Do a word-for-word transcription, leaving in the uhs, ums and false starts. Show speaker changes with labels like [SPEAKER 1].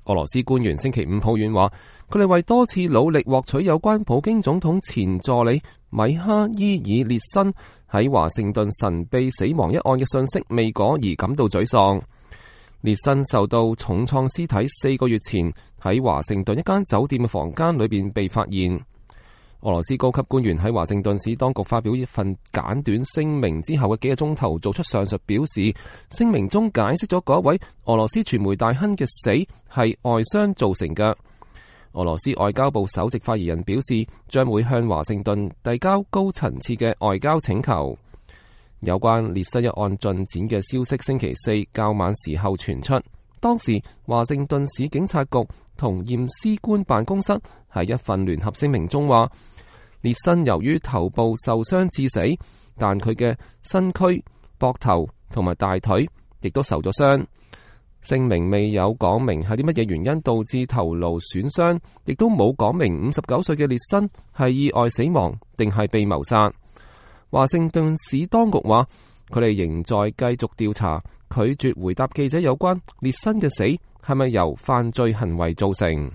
[SPEAKER 1] 俄羅斯官員星期五抱怨話，佢哋為多次努力獲取有關普京總統前助理米哈伊爾列申喺華盛頓神秘死亡一案嘅信息未果而感到沮喪。列申受到重創屍體四個月前喺華盛頓一間酒店嘅房間裏邊被發現。俄羅斯高級官員喺華盛頓市當局發表一份簡短聲明之後嘅幾個鐘頭做出上述表示，聲明中解釋咗嗰位俄羅斯傳媒大亨嘅死係外傷造成嘅。俄羅斯外交部首席發言人表示，將會向華盛頓遞交高層次嘅外交請求。有關列申一案進展嘅消息，星期四較晚時候傳出。當時華盛頓市警察局同驗屍官辦公室喺一份聯合聲明中話，列申由於頭部受傷致死，但佢嘅身軀、膊頭同埋大腿亦都受咗傷。聲明未有講明係啲乜嘢原因導致頭顱損傷，亦都冇講明五十九歲嘅列申係意外死亡定係被謀殺。華盛頓市當局話，佢哋仍在繼續調查，拒絕回答記者有關列申嘅死係咪由犯罪行為造成。